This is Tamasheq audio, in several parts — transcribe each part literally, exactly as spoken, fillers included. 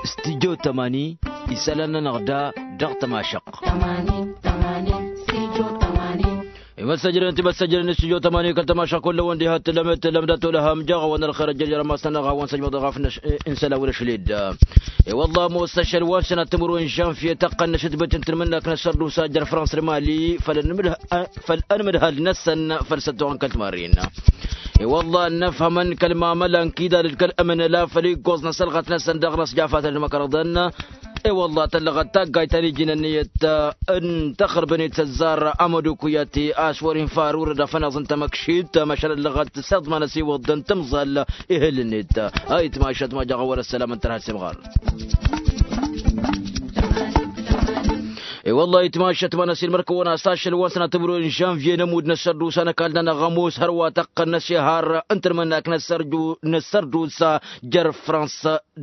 Studio tămani. Isălan-nănăɣ da dăɣ-tămašăqq. Imăssăjrăn timăssăjrăn studio tămani kăl-tămašăqq kullăwăn diha tǝlăm tǝlăm dat-olăhăm jaɣ-awăn ălxer ăjjăr jărămas-nănăɣ a-wăn săjmăḍ ɣaf n-isălan wălăšled. I-wălla ămoos ašăl wa n-sănat timǝrwen žănvye tăqqăn n-ašǝtbet n-tǝnmǝnnak n-ăssărdusa jer-frans d-mali făl-ănmǝdhal-năsăn făll-săttoɣăn kăl-timarrin. I-wălla ănnăfhămăn kăl-mamăla n-kidal d-kăl-ămǝnăla făll-iggoẓ n-asălɣăt-năsăn dăɣ-năsjafatăn d-măkărăḍăn. I-wălla tăllăɣăt taggayt ta n-iji n-ǝnniyăt n-tăxrǝbăn-i tăzzar amădukuyati a-s wăr-infa ar urăd afănaẓ n-tamăkšit măšan ăllăɣăt s-iḍman ăsiwǝḍ d-ǝntǝmẓal. Ihǝl-net a itmašăt ma jaɣ-wăr-ăssălam n-tărha s-imɣar. I-wălla itmašăt ma n-ăsilmăr-kăwăn a-s ašăl wa n-sănat timǝrwen žănvye n-ămudd n-ăssărdusa n-ăkall-nănăɣ ămoos hărwa tăqqăn n-ăsihar n-tǝnmǝnnak n-ăssărdusa jer-frans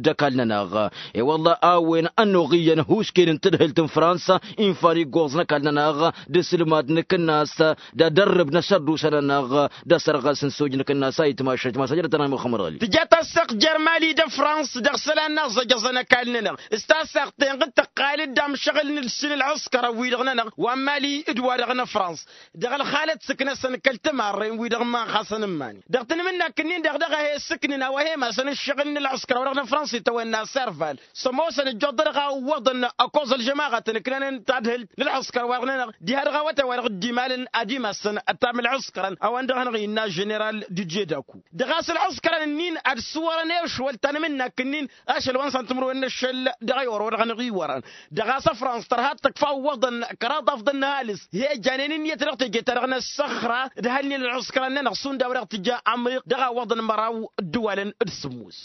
d-ăkall-nănăɣ. I-wălla a-wen ănnuɣ iyyăn ăhuusken n-tadhǝlt n-frans infa n-iggoẓ n-ăkall-nănăɣ d-asǝlmad n-akǝnnas d-adărrǝb n-asărdusa-nănăɣ d-asărɣas n-soj n-akǝnnas a itmašăt ma s-ajrăt-anăɣ muxămmăd ɣăli. Tǝja tasseɣt jer-mali d-frans dăɣ-isălan n-aẓăjăẓăn ăkall-nănăɣ s-tasseɣt-ten ɣǝd tăqqal-dd amšăɣǝl n-ǝlsǝl ǝlɣǝskăr wi-dăɣ-nănăɣ wa n-mali d-wa-dăɣ n-frans. Dăɣ-ălxalăt s-ǝknăsăn kăl-tămarren wi-dăɣ iman-xasăn n-iman-i dăɣ-tanmǝnnak-ǝnnin-dăɣ dăɣ-e-he ǝssǝknǝn a-wa he-masăn ǝššăɣǝl n-ǝlɣǝskăr wa dăɣ-nǝfrănsa itawănna serval. S-ămoosăn ǝjjuḍ-dăɣ a ǝwwăḍăn ăkoẓ ălžămaɣăt ǝnǝknănen tadhǝlt n-ǝlɣǝskăr-wa-dăɣ-nănăɣ diha-dăɣ awătay-wa-dăɣ dd-imalăn ad-imassăn ăttam ǝlɣǝskărăn a-wen-dăɣ a hanăɣ-innă ženeral d-jedaku. Dăɣ-a-s ǝlɣǝskărăn-ǝnnin ad-sǝwwărăn i-ašwăl tanmǝnnak-ǝnnin ašăl wa n-săn timǝrwen n-ašăl dăɣ-i orăwăd ɣănăɣ-iwărăn. Dăɣ-a-s ăfrans tărha ad-tăkfa ǝwwăḍăn kăraḍ afḍăn n-ăhalǝs he-ǝjjanen ǝnniyăt dăɣ-teje-ta-dăɣ n-ăssăxra d-hălnen ălɣǝskărăn-nănăɣ šund a-wa dăɣ-tǝjja ămriq dăɣ-a ǝwwăḍăn măraw ǝddǝwalăn d-sǝmmos.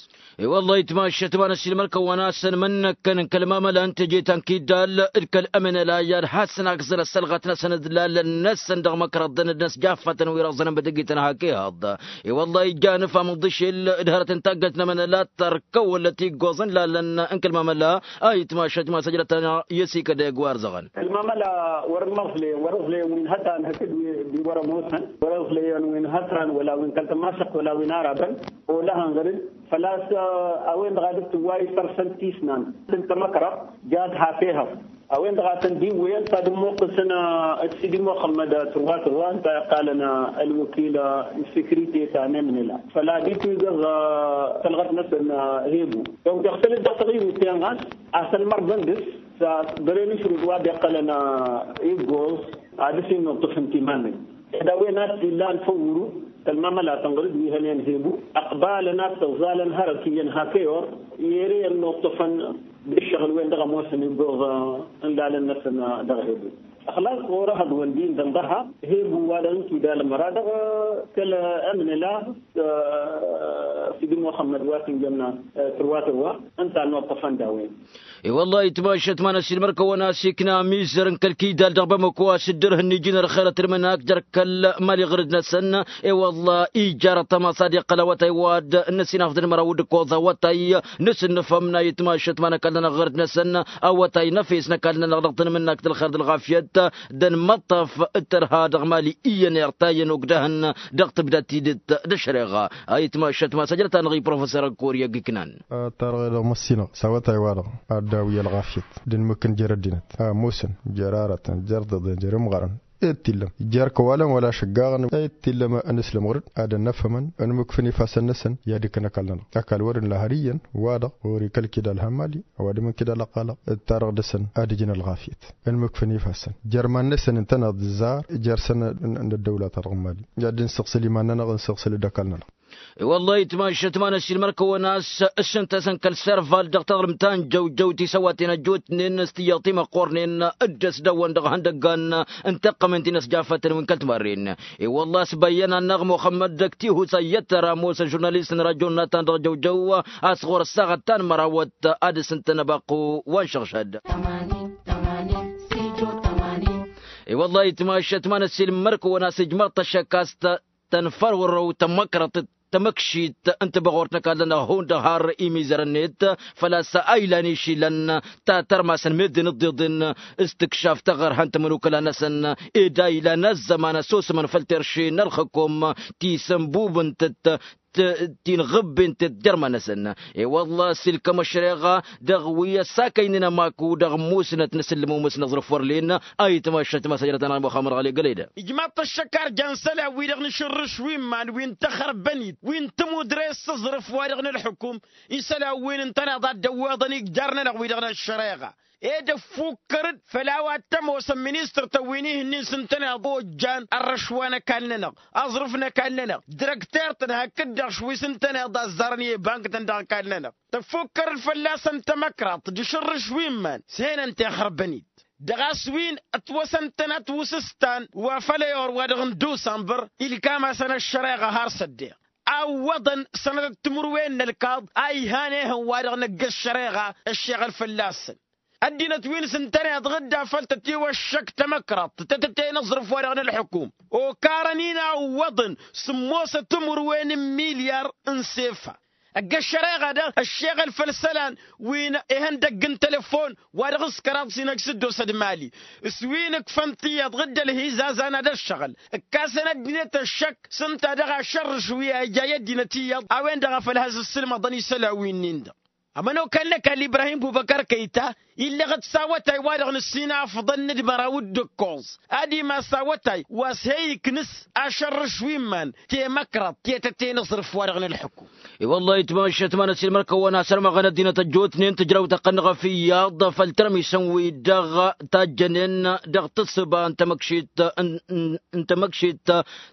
I-wăllah itmašăt ma n-ăssiilmăr-kăwăn a-s ănmănnăkkăn n-kăl-mamăla n-teje ta n-kiddal d-kăl-ămănăla i-ad-hasăn akẓăn ăssălɣăt-năsăn d-lalăn-năsăn dăɣ-măkrăḍăn d-inăsjaffatăn wi răẓănăn bătăgităn hak ihăḍ. I-wăllah ija anǝfam ǝḍǝšel d-hărăt n-taggăyt n-ămănăla tărkăwălăt iggoẓ n-lalăn n-kăl-mamăla a itmašăt ma s-ăjrăt-anăɣ i-ăsikădăyăg wa ărzăɣăn. Kăl-mamăla wăr-ăẓleyăn wăr-ăẓleyăn wi n-hătan hakd wi wăr-ămoosăn wăr-ăẓleyăn wi n-hătan wăla wi n-kăl-tămašăqt wăla wi n-arabăn. Olăhăn ɣăr-dd făl-a-s a-wen-dăɣ a dd-tǝwway tărsăn tisnan tǝntămăkrăɣ jad hak ehăḍ. A-wen-dăɣ a tăn-dd-iwwăyăn s-ad-ămmuqqǝsăn d-sidi muxămmăd tǝrwa tǝrwa ǝnta iqqalăn ălwăkil n-sekirite ta n-emnela făl-ad-itwǝgăẓ tălɣăt-năsăn. Hebu donc iɣtǝl-dd dăɣ-tăɣiwǝt-ten ɣas a-s ălmărḍăn dăɣ-s s-băren ašrut wa dd-iqqălăn iggoẓ ad-dăɣ-s innuṭṭǝfăn timan-năk. Ed a-wen a t-illan făw ǝrut kăl-mamăla tănɣăr-dd wi hănen hebu ăqbalăn ad-t-ăẓẓalăn hărăt iyyăn hak eyor i-ere ănnuṭṭăfăn d-ǝššăɣǝl-wen-dăɣ ămoosăn iggoẓ n-lalăn-năsăn. Dăɣ-hebu ăxlaẓ ɣur-ehăḍ wăr-dd-indăn dăɣ-ha hebu-wa-dăɣ n-kidal măra dăɣ-kăl-ămnăla s-dd-muxămmăd wa s-ǝnjămna tǝrwa tǝrwa ǝnta ănnuṭṭăfăn d-a-wen. I-wăllah itmašăt ma n-ăssiilmăr-kăwăn a-s ikna amizăr n-kăl-kidal dăɣ-bamăko a-s dd-ărhǝnnijǝn ărxerăt ălmănak jer-kăl-mali ɣǝrǝd-năsăn. I-wăllah ija răṭṭăm a-s ad-iqqăl awătay wa dd-năsinafḍăn măraw d-ǝkkoẓ awătay n-asǝnnǝfăm n-a itmašăt ma n-ăkall-nănăɣ ɣǝrǝd-năsăn. Awătay n-efes n-ăkall-nănăɣ dăɣ-tanmǝnnakt d-ălxer d-ălɣafyăt d-ănmăṭṭăf d-tărha dăɣ-mali iyyăn irtayăn ogdăhăn dăɣ-tǝbda tidǝt d-ăššăreɣa. A itmašăt ma s-ăjrăt-anăɣ i-professor ăkkoryăg iknan. Tarɣe-dăɣ măssinăɣ s-awătay-wa-dăɣ ad-dd-awǝy ălɣafyăt d-inmǝkkǝn jer-ăddinăt a ămoosăn jer-arătăn jer-tiḍen jer-imɣarăn. Ed t-illăm jer-kăwalăn wăla šăggaɣăn ed t-illăm n-aslăm ɣur-dd ad-ănnăfhămăn ănmǝkfǝn ifassăn-năsăn i-ad-ikkăn ăkall-nănăɣ ăkall wăr-illa har iyyăn wa-dăɣ ɣur-i kăl-kidal hammali ăwadǝm n-kidal ăqqalăɣ d-tarăɣ dăɣ-săn ad-ǝjǝn ălɣafyăt. Ănmǝkfǝn ifassăn jer-iman-năsăn ǝntăneḍ d-ǝzzar jer-săn n-ăddăwla-ta-dăɣ n-mali ad-dd-ǝnsǝɣsǝl iman-nănăɣ ǝnsǝɣsǝl-dd ăkall-nănăɣ. I-wăllah itmašăt ma n-ăssiilmăr-kăwăn a-s ǝssǝntăsăn kăl-serval dăɣ-taḍrǝmt ta n-jăwjăw tisăwaten ăjjootnen s-tiyyăḍ timăqqornen d-ăsdăwăn dăɣ-ihăndăggan n-taqqămen ti n-ăsjafătăn wi n-kăl-timarren. I-wăllah a-s băyyăn-anăɣ muxămmăd d-ăktihu s-ayyăt tăra ămoos ăžurnalist n-rajo n-natan dăɣ-jăwjăw a-s ɣur-ăssaɣăt ta n-mărawăt ad-ǝssǝntăn abăqqu wa n-šăɣšad. I-wăllah itmašăt ma n-ăssiilmăr-kăwăn a-s ijmăr-t ăššăk a-s tănfărwărăw tămmăkrăḍt. tamăkšit n-tibăɣurt n-ăkall-nănăɣ hundăɣ har imizărăn-net făl-a-s a ilan išilăn ta tărmasăn meddǝn ǝḍḍeḍen s-tikšaf taɣărhăn timǝnukǝla-năsăn ed a ilan ăzzăman ăsosămăn făll-terše n-ălxǝkum ti sănbubǝnt-t ti n-ɣǝbben-t dd-irma-năsăn. I-wălla s-ilkăm ăššăreɣa dăɣ-wi ăssakăynen ămaku dăɣ-musnăt n-asǝllǝm umǝs n-aẓrǝf wăr len. Ayǝtmašăt ma s-ajrăt-anăɣ muxămmăd ɣali gălăydă. Ijmaḍ-t ăššăk arjan isălan-wi-dăɣ n-ašǝrrǝš wi n-iman wi n-taxărbănit wi n-tămudre s-aẓrǝf wa dăɣ-nǝlxǝkum isălan-wi n-ǝntăneḍ a dd-ăwweḍăn ijjar-nănăɣ wi-dăɣ n-ăššăreɣa ed ăffukkăr-dd făll-a-wa t-ămoosăn ministăr-tăn wi n-ihǝnnin s-ǝntăneḍ ojjan ărrăš wa n-ăkall-nănăɣ aẓrǝf n-ăkall-nănăɣ dirăkter-tăn hakd-dăɣ šwi s-ǝntăneḍ a ăzzarăn i-ibank-tăn dăɣ-ăkall-nănăɣ. Tăffukkăr-dd fălla-săn tamăkraḍt d-ašǝrrǝš wi n-iman s-henăn tixărbănit dăɣ-a-s wi n-ătwăsăn-tăn ătwǝsǝstan wa făll-ayor wa dăɣ-n dusănbăr ilkam-asăn ăššăreɣa har s-ăddeɣ a ǝwwăḍăn sănătăt timǝrwen n-ălkaḍ a ihan ehăn wa dăɣ-năgg ăššăreɣa ăššeɣăl fălla-săn. Ăddinăt wi n-sǝntăneḍ ɣǝdda făll-tătiwăššăk tamăkraḍt tăt-tătăyăn aẓrǝf wa dăɣ-nălxǝkum okarăn-in a ǝwwăḍăn sǝmmosăt timǝrwen n-milyar n-sefa. Ăgg-ăššăreɣa-dăɣ ăššeɣăl făll-isălan wi n-ihăndăgg n-telăfon wa dăɣ-s kăraḍ s-inăj s-dd-osăd mali s-wi n-ǝkfăn tiyyăḍ ɣǝdda ălhizazan ad-ăššăɣǝl ǝkkasăn ăddinăt ăššăk s-ǝnta dăɣ-ašărrǝš wi a ija i-ăddinăt iyyăḍ a-wen-dăɣ a făl has-ǝssǝlmăḍăn isălan wi-nin-dăɣ. Ămănokal n-ăkall ibrahim bubăkăr kăyta illăɣ-dd s-awătay wa-dăɣ n-ǝssin afḍăn n-ǝdmăraw d-ǝkkoẓ ad-imas awătay wa s-he-iknǝs ašărrǝš wi n-iman temăkraḍt tetăte n-aẓrǝf wa-dăɣ n-ălḥǝkum. I-wăllah itmašăt ma n-ăsilmăr-kăwăn asărmăɣăn ăddinăt ăjjootnen tǝjrăwt ăqqăn ɣăf iyyăḍ făll-tărmisăn-wi-dăɣ tajjănen dăɣ-tǝssǝba n-tamăkšit n-tamăkšit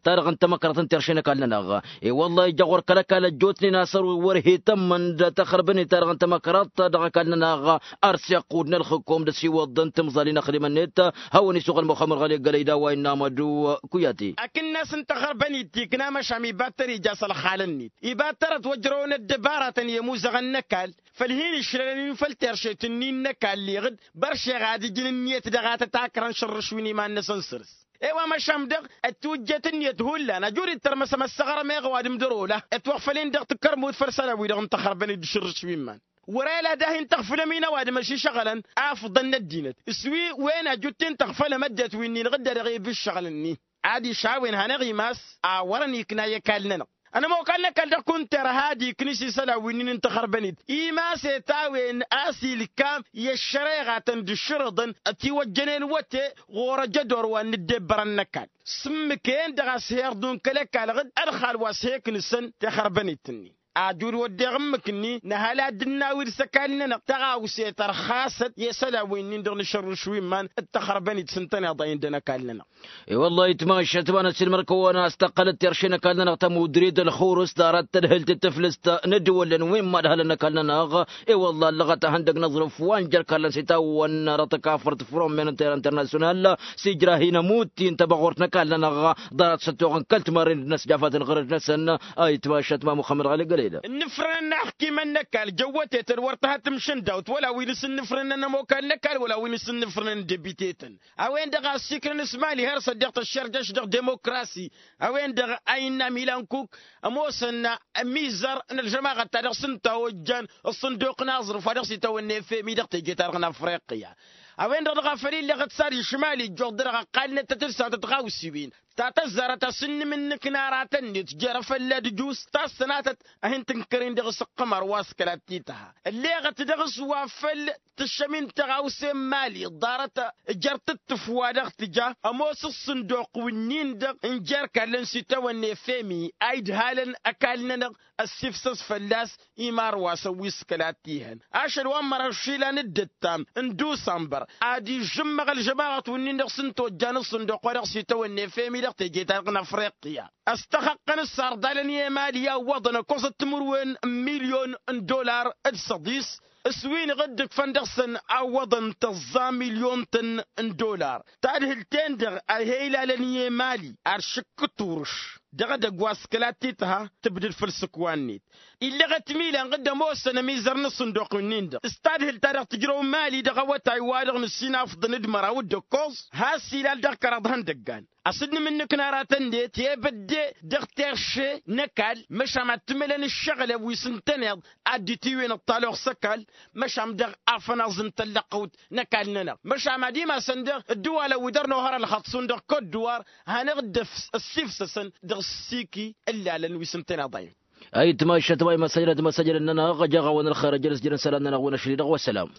ta-dăɣ n-tamăkraḍt n-terše n-ăkall-nănăɣ. I-wăllah ija ɣur-kăl-ăkall ăjjootnen a-s ărwǝy wăr he-tămmăn d-taxărbănit-ta-dăɣ n-tamăkraḍt dăɣ-ăkall-nănăɣ. Ar s-iqqud n-ălxǝkom d-ăsiwăḍ n-timẓalin ăxdimăn-net hawăn-isuɣǝl muxămmăd ɣali gălăy d-a-wa innă amădu. Kuyate akǝnnas n-taxărbănit tikna măšan ibattăr ija s-ălxal-net ibattărăt wăjrăwăn ăddăbaratăn i-ămuzăɣăn n-ăkall făll-hin-išlălăn-in făll-teršet-nin n-ăkall iɣǝd băršeɣ ad-ǝjǝn ǝnniyăt dăɣ-a tăt-akrăn šărrǝš wi n-iman-năsăn săr-s. I-wa măšan dăɣ-ătwǝjjet ǝnniyăt hullan ăjud-dd tărmăsăm ăssăɣrăm eɣăw ad-imdăr-ola ătwăɣfăl-in dăɣ-takărmut făll-isălan-wi-dăɣ n-taxărbănit d-ašǝrrǝš wi n-iman. Wăr-e-la ad-hin-tăɣfǝlăm-in ăwadǝm ăššăɣǝlăn afḍăn n-ăddinăt s-wi wen ajut-t-in-tăɣfălăm ăddinăt wi-nin ɣǝdda dăɣ-eb ǝššăɣǝl-nin. Adiš a-wen hanăɣ-imas a wărăn ikna i-ăkall-nănăɣ ănămokal n-ăkall dăɣ-kunter had-iknǝs isălan wi-nin n-taxărbănit. Imas i-tawen a-s ilkam i-ăššăreɣatăn d-ašrǝḍăn ătiwăjjănen wăte ɣur-ăjădor wa n-ǝddebbărăn n-ăkall. S-ǝmmǝk-en-dăɣ a-s he-irḍun kăl-ăkall ɣǝd ălxal wa s-he-iknǝsăn taxărbănit-nin. Ajud wădden ǝmmǝk-ni nǝhăl ad-dd-nawi dăɣ-s ăkall-nănăɣ tăɣawse tărxasăt i-isălan wi-nin-dăɣ n-ašărrǝš wi n-iman d-taxărbănit s-ǝntăneḍ a indăn ăkall-nănăɣ. I-wăllah itmašăt ma n-ăsilmăr-kăwăn a-s tăqqălăt terše n-ăkall-nănăɣ tămudre d-ălxurǝs ḍarăt tădhǝlt d-tǝflǝst n-ăddăwălăn wi n-imadhălăn ăkall-nănăɣ. I-wăllah ăllăɣăt ahăndăg n-aẓrǝf wa n-jer-kallăn s-itawwăn dăɣ-tăkafărt fromen n-tera internasyonal s-ijra hin-ămutti n-tăbăɣurt n-ăkall-nănăɣ ḍarăt s-ăttoɣăn kăl-timarren d-inăsjafăt n-ɣărăt-năsăn. A itmašăt ma muxămmăd ɣali gălăydă. Ǝnnǝfrănăn n-aḥkimăn n-ăkall jăwwătetăn wăr tăha tǝmšǝndawt wăla wi n-asǝnnǝfrănăn n-ămokal n-ăkall wăla wi n-asǝnnǝfrănăn n-debiteten. A-wen-dăɣ a ăssiikrăn s-mali har s-ăddiɣ tăššărjăš dăɣ-demokrasi. A-wen-dăɣ a innă milankuk ămoosăn ămizăr n-ălžămaɣăt ta dăɣ-s ǝnta ojjan ăṣṣǝnduq n-aẓrǝf wa dăɣ-s itawănna efemi dăɣ-teje-ta-dăɣ n-afriqya. A-wen-dăɣ dăɣ-a făl illăɣăt s-ad-išmal ijjuɣ-dd dăɣ-ăqqal-net tăt-ǝlsan tătɣawsiwen ta tăzzarăt a-s ǝnnǝmǝnnǝk n-aratăn-net jer-afălla d-ǝjus ta s-tănatăt a hin-tǝnkăr-in dăɣ-s ǝqqǝmăr wa s-kăla t-itha ălleɣăt dăɣ-s wa făl tǝššăm-in tăɣawse n-imali ḍarăt jer-tǝttǝf wa dăɣ-tǝja ămoos ǝṣṣǝnduq wi-nin-dăɣ n-jer-kallăn s-itawănna efemi a idhalăn ăkall-nănăɣ ăssifsăs fălla-s. Imarwasăn wi s-kăla t-ihăn ašăl wa n-măra ăššilan d-ǝttam n-dusănbăr ad-ižžǝmmăɣ ălžămaɣăt wi-nin-dăɣ s-ǝnta ojjan ǝṣṣǝnduq wa dăɣ-s itawănna efemi dăɣ-teje-ta-dăɣ n-afriqya. Ăstăxăqqăn s-sarḍalăn i-emali a ǝwwăḍăn ăkkoẓăt timǝrwen n-milyon n-dollar d-săḍis s-wi n-iɣǝdd ǝkfăn dăɣ-săn a ǝwwăḍăn tăẓẓa milyon-tăn n-dollar. Tadhǝlt-en-dăɣ a he-ilalăn i-emali ar šǝkkǝt urǝš dăɣ-edăgg wa s-kăla t-itha tǝbdǝd făll-isǝkwa-net. Illăɣăt milan ɣǝdd ămoosăn ămizăr n-ăṣṣǝnduq-wi-nin-dăɣ s-tadhǝlt ta dăɣ-tǝjrăw mali dăɣ-awătay wa dăɣ-nǝssin afḍăn d-măraw d-ǝkkoẓ has-ilal dăɣ-kăraḍ ihăndăggan. a-s dd-nǝmǝnnǝkna aratăn-net i-ebădde dăɣ-terše n-ăkall. Măšan ad-tǝmǝlăn ǝššăɣǝlăn wi s-ǝntăneḍ ad-dd-itiwǝyăn ăṭṭal oɣ s-ăkall. Măšan dăɣ-afănaẓ n-tăllăɣt n-ăkall-nănăɣ măšan ad-imasăn dăɣ-ǝddǝwalăn wi dăr-nohăr ălxăḍ šund dăɣ-kot dǝwar. Hanăɣ-dd-ăssifsăsăn dăɣ-s siki ǝllalăn wi s-ǝntăneḍ a-wen. Ayǝtmašăt wa imasajrăt imasajrăt-nănăɣ ăjăɣ-awăn ălxer ăjrăs jărăn isălan-nănăɣ wi n-ašli-dăɣ wa sălam.